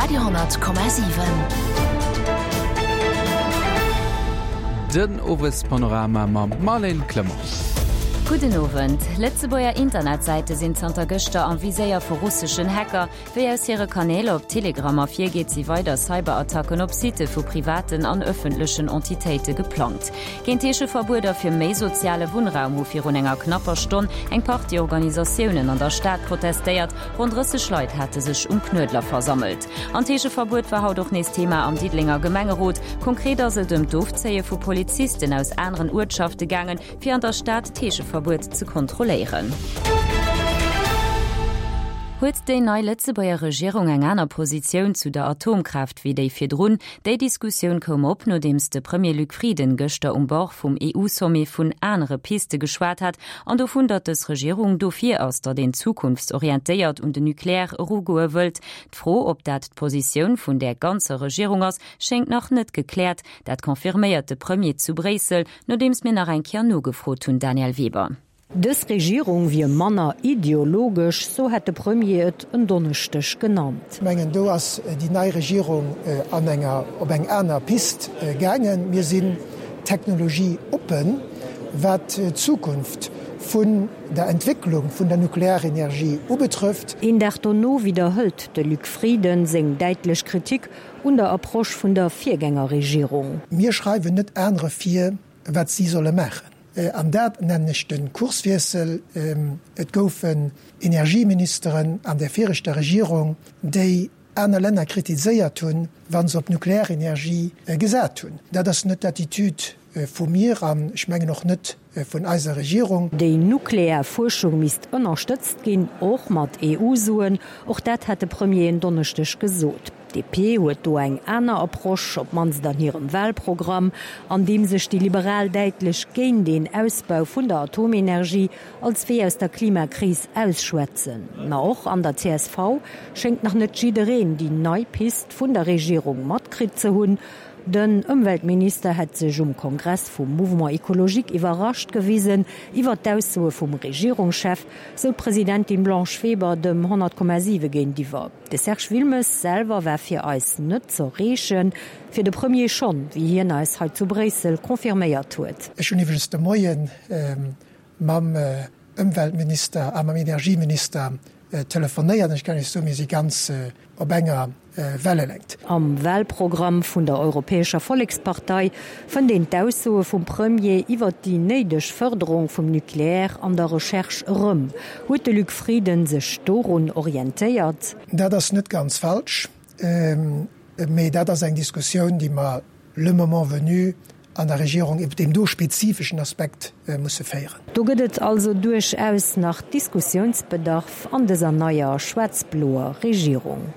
Radio,7. Den Owespanorama mam Marlène Clement. Gudden Owend. Lëtzebuerger Internetsäite sinn zanter gëschter am Viséier vu russeschen Hacker. Wéi aus hire Kanäl op Telegram ervirgeet, si weider Cyberattacken op Sitte vu privaten an ëffentlechen Entitéite geplangt. Géint Heescheverbueder fir méi soziale Wunnraum hu virun enger knapper Stonn eng Partie Organisatiounen an der Stad protestéiert. Ronn 30 Leit hate sech um Knuedler versammelt. An d'Heescheverbuet war haut och nees Thema am Diddelenger Gemengerot. Konkret ass et ëm d'Ofzéie vu Polizisten aus aneren Uertschafte gaangen, fir an der Stad d'Heescheverbuet ze kontrolléieren. Huet déi nei Lëtzebuerger Regierung eng aner Positioun zu der Atomkraaft wéi déi virdrun? Déi Diskussioun koum op, nodeems de Premier Luc Frieden gëschter um Bord vum EU-Sommet vun anere Piste geschwat hat an dovun, datt dës Regierung dofir ass, datt een zukunftsorientéiert un den Nucléaire erugoe wëllt. D'Fro, ob dat d'Positioun vun där ganzer Regierung ass, schéngt nach net gekläert. Dat confirméiert de Premier zu Bréissel, Nodeems mir nach eng Kéier nogefrot hunn, Danièle Weber. Dës Regierung wier manner ideologesch, sou hätt de Premier et en Donneschdeg genannt. Ech mengen, do ass déi nei Regierung an enger, op eng aner Pist gaangen. Mir sinn technologieoppen, wat d'Zukunft vun der Entwécklung vun der Nuklearenergie ubetrëfft. Een Dag dono widderhëlt de Luc Frieden seng däitlech Kritik Un der Approche vun der Virgängerregierung. Mir schreiwen net anere vir, wat si solle maachen. An dat nennen ech de Kurswiessel. Et goufen Energieministeren an der viregter Regierung, déi aner Länner kritiséiert hunn, wa se op Nuklearenergie gesat hunn. Dat ass net d'Attitude vu mir an ech mengen och net vun eiser Regierung. Déi nuklear Fuerschung misst ënnerstëtzt ginn, och mat EU-Suen. Och dat hat de Premier en Donneschdeg gesot. D'DP huet do eng aner Approche, op d'mannst an hirem Wahlprogramm, an deem sech déi Liberal däitlech géint een Ausbau vun der Atomenergie als Wee aus der Klimakris ausschwätzen. Ma och an der csv schéngt nach net jiddereen déi nei Pist vun der Regierung matkritt ze hunn. Den Ëmweltminister hätt sech um Kongress vum Mouvement Ecologique iwwerrascht gewisen iwwer d'Aussoe vum Regierungschef, sou d'Presidentin Blanche Weber dem 100,7 géintiwwer. De Serge Wilmes selwer war fir eis net z'erreechen, fir de Premier schonn, wéi hien eis hei zu Bréissel confirméiert huet. Ech hunn iwwregens de Moie mam Ëmweltminister a mam Energieminister telefonéiert an ech kann Iech soen, mir si ganz op enger Wellelängt. Am Wahlprogramm vun der Europäescher Vollekspartei fënnt een d'Aussoe vum Premier iwwert déi néideg Fërderung vum Nucléaire an der Recherche erëm. Huet de Luc Frieden sech dorun orientéiert? Dat ass net ganz falsch, mee dat ass eng Diskussioun, déi mer le moment venu an der Regierung iwwer deem do spezifeschen Aspekt musse féieren. Do gëtt et also duerchaus nach Diskussiounsbedarf an dëser neier schwaarz-bloer Regierung.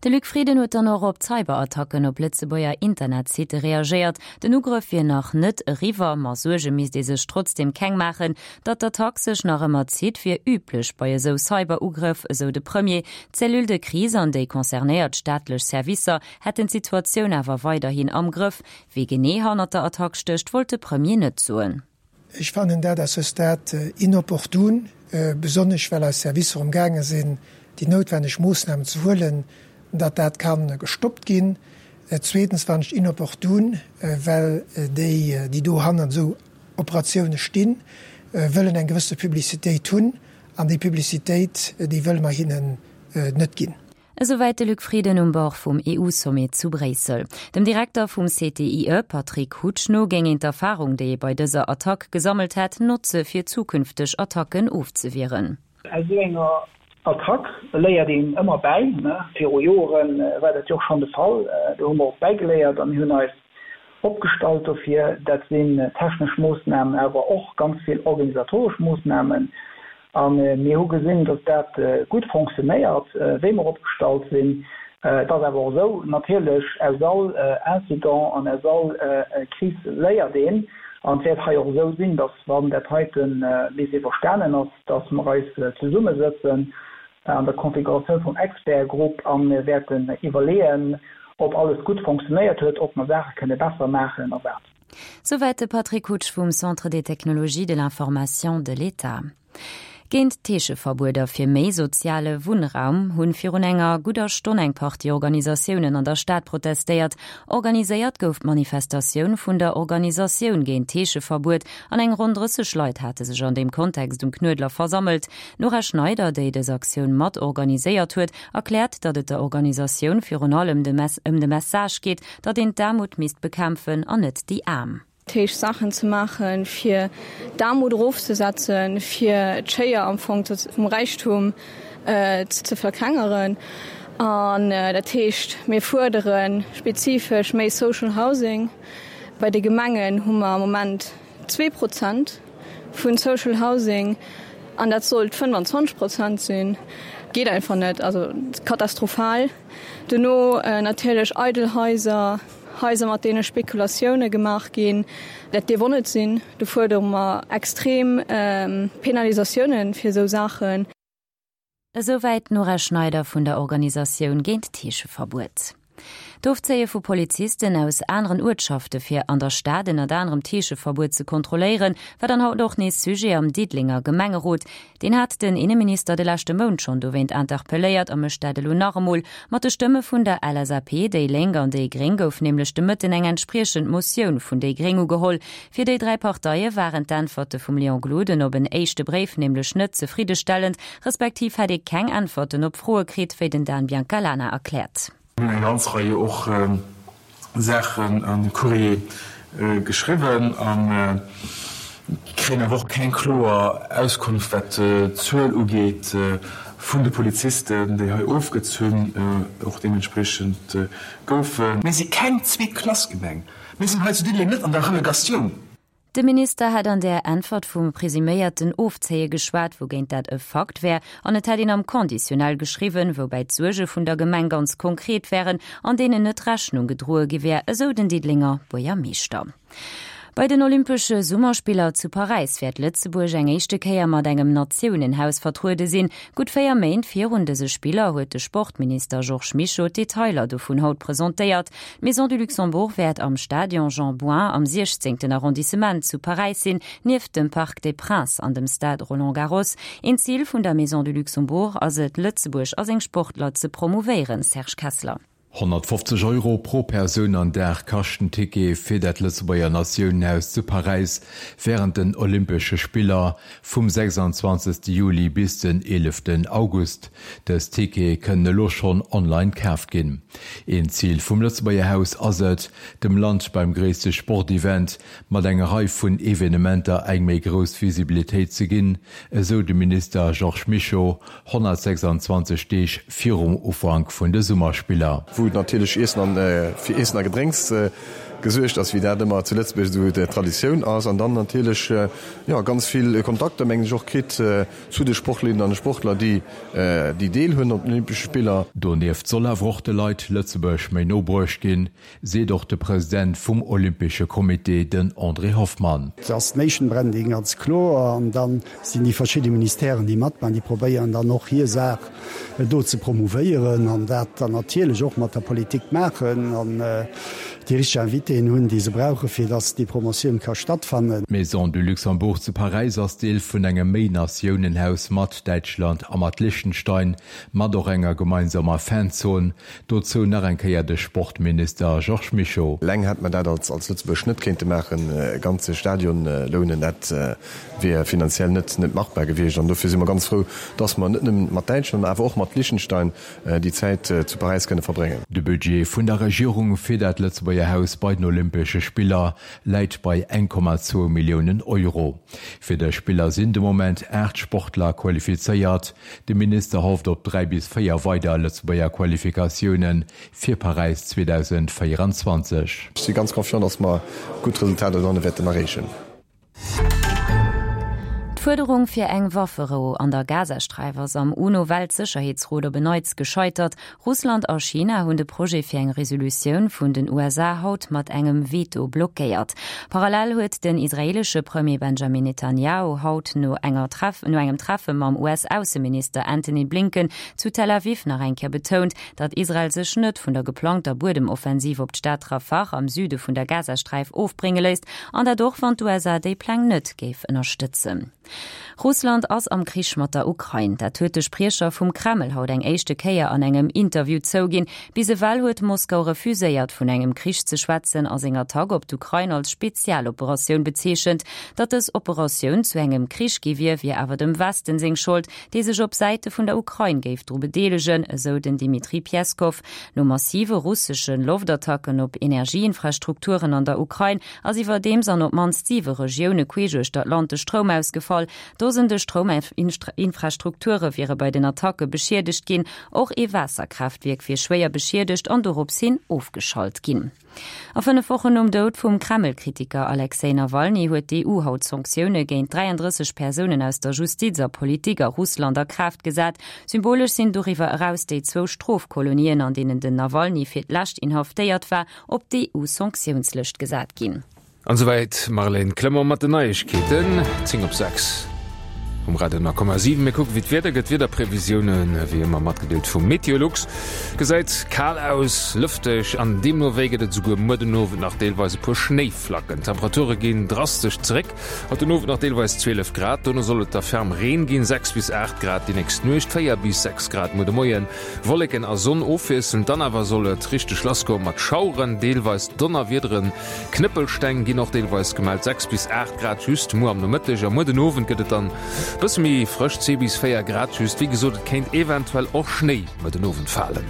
De Luc Frieden huet dann och op d'Cyberattacken op Lëtzebuerger Internetsitte reagéiert. Den Ugrëff wier nach net eriwwer, ma Suerge misst ee sech trotzdeem keng maachen. Datt d'Attack sech nach ëmmer zitt, wier üblech bei esou Cyberugrëff, esou de Premier. D'Cellule de crise an déi concernéiert staatlech Servicer hätten d'Situatioun awer weiderhin am Grëff. Wie genee hannert der Attack stécht, wollt de Premier net soen. Ech fannen dat à ce stade inopportun, besonnesch well eis Servicer um gaange sinn, déi noutwenneg Moossnamen ze huelen, datt dat ka gestoppt ginn. Zweetens fannen ech et inopportun, well déi, déi do hannert esou Operatioune stinn, wëllen eng gewësse Publicitéit hunn, an déi Publicitéit, déi wëlle mer hinnen net ginn. Esouwäit de Luc Frieden um Bord vum EU-Sommet zu Bréissel. Dem Direkter vum CTIE, Patrick Hutsch no, géing een d'Erfarung, déi ee bei dëser Attack gesammelt hätt, notze fir zukünfteg Attacken ofzewieren. Aus esou enger Attack léiert een ëmmer bäi. Viru Joere war dat jo och schonn de Fall. Do hu mer och bäigeléiert a mir hunn eis opgestallt dofir. Dat sinn technesch Moossnamen, awer och ganz vill organisatoresch Moossnamen. A mir hu gesinn, datt dat gutt fonctionnéiert, wéi mer opgestallt sinn. Et ass awer och esou, natierlech, aus all Incident an aus all Kris léiert een. An et wäert hei och esou sinn, datt, wann dat heite bis iwwerstanen ass, datt mer eis zesummesëtzen an der Konfiguratioun vum Expertgrupp a mir wäerten iwwerleeën, ob alles gutt fonctionnéiert huet, ob mer Saache kënne besser maachen a wat. Souwäit de Patrick Hutsch vum Centre des technologies de l'information de l'État. Géint d'Heescheverbueder fir méi soziale Wunnraum hunn virun enger gudder Stonn eng Partie Organisatiounen an der Stad protestéiert. Organiséiert gouf d'Manifestatioun vun der Organisatioun géint d'Heescheverbuet an eng ronn 30 Leit hate sech an deem Kontext um Knuedler versammelt. D'Nora Schneider, déi dës Aktioun mat organiséiert huet, erkläert, datt et der Organisatioun virun allem ëm de Message geet, datt een d'Aarmut misst bekämpfen an net déi Aarm. Heescht Saachen ze maachen, fir d'Aarmut erofzesetzen, fir d'Schéier am Fong vum Räichtum ze verklengeren. An dat heescht, mir fuerdere spezifesch méi Social Housing. Bei de Gemengen hu mer am Moment 2 Prozent vu Social Housing an dat sollt 25 Prozent sinn. Geet einfach net, also katastrophal. Dono natierlech eidel Haiser. Haiser mat deene Spekulatioune gemaach ginn, dat dierf och net sinn. Do fuerdere mer extrem Penalisatioune fir esou Saachen. Esouwäit d'Nora Schneider vun der Organisatioun géint d'Heescheverbuet. D'Ofzéie vu Polizisten aus aneren Uertschafte fir an der Stad ënnert anerem d'Heescheverbuet ze kontrolléieren, war dann haut och nees Sujet am Diddelenger Gemengerot. Deen hat den Inneminister de leschte Mount schonn dowéint interpelléiert a mécht dat elo nach emol. Mat de Stëmme vun der LSAP, déi Lénk an déi Gréng gouf nämlech de Mëtten eng entspriechend Motioun vun déi Gréng ugeholl. Fir déi 3 Parteie waren d'Äntwerte vum Léon Gloden op en éischte Bréif nämlech net zefriddestellend, respektiv hätt ee keng Äntwerten op Froe kritt, wéi den Dan Biancalana erkläert. Mir hunn eng ganz Rei och Saachen an de Courrier geschriwwen a kréien awer och keng kloer Auskunft, wat d'Zuel ugeet vun de Polizisten, déi hei ofgezunn och deementspriechend goufen. Mir si keng Zweet-Klass-Gemeng. Mir sinn hei zu Diddeleng net an der Relegatioun. De Minister hätt an där Äntwert vum presuméierten Ofzéie geschwat, wougéint dat e Fakt wär, an et hätt een am Conditionnel geschriwwen, woubäi d'Suerge vun der Gemeng ganz konkret wären an deenen net Rechnung gedroe gi wär, esou den Diddelenger Buergermeeschter. Bei den Olympesche Summerspiller zu Paräis wäert Lëtzebuerg eng éischte Kéier mat engem Natiounenhaus vertruede sinn. Gutt 4 Méint virun dëse Spiller huet de Sportminister Georges Mischo d'Detailer dovun haut presentéiert. D'Maison du Luxembourg wäert am Stadion Jean Bouin am 16. Arrondissement zu Paräis sinn, nieft dem Parc des Princes an dem Stade Roland Garros. Een Zil vun der Maison du Luxembourg ass et, Lëtzebuerg a seng Sportler ze promouvéieren, Serge Kessler. 150 Euro pro Persoun an Dag kascht den Ticket fir dat Lëtzebuerger Natiounenhaus zu Paräis wärend den Olympesche Spiller vum 26 Juli bis den 11 August. Dës Tickete kënnen elo schonn online kaaft ginn. Een Zil vum Lëtzebuerger Haus ass et, dem Land beim gréisste Sportevent mat enger Rei vun Evenementer eng méi grouss Visibilitéit ze ginn, esou de Minister Georges Mischo 126 Deeg virum Ufank vun de Summerspiller. Wou natierlech Iessen an fir Iessen a Gedrénks gesuergt ass, wéi dat ëmmer zu Lëtzebuerg esou d'Traditioun ass, an dann natierlech jo ganz vill Kontakter mengen ech och kritt zu de Sportlerinnen an de Sportler, déi déi Deel hunn op den Olympesche Spiller. Donieft soll awer och de Leit Lëtzebuerg méi no bruecht ginn, seet och de President vum Olympesche Comité, den André Hoffmann. Et ass Nation Branding ganz kloer an da sinn déi verschidde Ministèren, déi matmachen, déi probéieren dann och hir Saach do ze promouvéieren an dat dann natierlech och mat der Politik maachen an déi richteg Invitéen hunn, déi se brauchen, fir dass déi Promotioun ka stattfannen. D'Maison du Luxembourg zu Paräis ass Deel vun engem Méi-Natiounen-Haus mat Däitschland a mat Liechtenstein, mat och enger gemeinsamer Fanzon. Dozou nach eng Kéier de Sportminister Georges Mischo. Eleng hätt mer dat als Lëtzebuerg net kéinte maachen, e ganze Stadion lounen, dat wier finanziell net machbar gewiescht. An dofir si mer ganz frou, dass mer net nëmmen mat Däitschland, mä awer och mat Liechtenstein déi Zäit zu Paräis kënne verbréngen. De Budget vun der Regierung fir dat Lëtzebuerger Haus bei den Olympesche Spiller läit bei 1,2 Milliounen Euro. Fir dës Spiller sinn de Moment 8 Sportler qualifizéiert. De Minister hofft op 3 bis 4 weider Lëtzebuerger Qualifikatioune fir Paräis 2024. Ech si ganz confiant, dass mer gutt Resultater dohanne wäerten erreechen. D'Fuerderung fir eng Wafferou an der Gazasträif ass am UNO-Weltsécherheetsrot op en Neits gescheitert. Russland a China hunn de Projet fir eng Resolutioun vun den USA haut mat engem Veto blockéiert. Parallel huet den israeelesche Premier Benjamin Netanjahu haut no enger no engem Treffe mam US-Ausseminister Antony Blinken zu Tel Aviv nach eng Kéier betount, datt Israel sech net vun der geplangter Buedemoffensiv op d'Stad Rafah am Süde vun der Gazasträif ofbrénge léisst, an dat och wann d'USA déi Pläng net géif ënnerstëtzen. Russland ass am Krich mat der Ukrain. Dat huet de Spriecher vum Kreml haut eng éischte Kéier an engem Interview zouginn. Bis ewell huet Moskau refuséiert, vun engem Krich ze schwätzen a seng Attack op d'Ukrain als Spezialoperatioun bezeechent. Datt dës Operatioun zu engem Krich gi wier, wier awer dem Westen seng Schold, dee sech op Säite vun der Ukrain géif dru bedeelegen, esou den Dmitri Pjeskow. No massive russesche Loftattacken op Energieinfrastrukturen an der Ukrain ass iwwerdeems an op d'mannst siwe Regioune queesch uechter d'Land de Stroum ausgefall. Dosende Strouminfrastrukture wiere bei den Attacke beschiedegt ginn. Och ee Waasserkraaftwierk wier schwéier beschiedegt an dorops hin ofgeschalt ginn. A 5 Wochen nom Doud vum Kreml-Kritiker Alexej Nawalny huet d'EU haut Sanktioune géint 33 Persounen aus der Justiz a Politik a Russland a Kraaft gesat. Symbolesch sinn doriwwer eraus déi zwou Strofkolonien, an deenen den Nawalny fir d'lescht inhaftéiert war, op d'EU-Sanktiounslëscht gesat ginn. An esouwäit d'Marlène Clement mat den Neiegkeeten. 10 op 6 um Radio 10,7. Mir kucken, wéi d'Wieder gëtt. D'Wiederprevisiounen, wéi ëmmer matgedeelt vum Meteolux. Gesäit kal aus, lëfteg an deemno wéi gëtt et esouguer muer den Owend nach deelweis e puer Schnéiflacken. D'Temperature ginn drastesch zeréck. Haut den Owend nach deelweis 12 Grad, dono soll et da ferm Reen ginn, 6 bis 8 Grad déi nächst Nuecht, 4 bis 6 Grad muer de Moien. Wolleken a Sonn ofwiesselnd, dann awer soll et richteg lassgoe mat Schaueren, deelweis Donnerwiederen, Knëppelsteng ginn och deelweis gemellt, 6 bis 8 Grad just muer am Nomëtteg a muer den Owend gëtt et dann bësse méi frësch, 2 bis 4 Grad just. Wéi gesot, et kéint eventuell och Schnéi muer den Owend falen.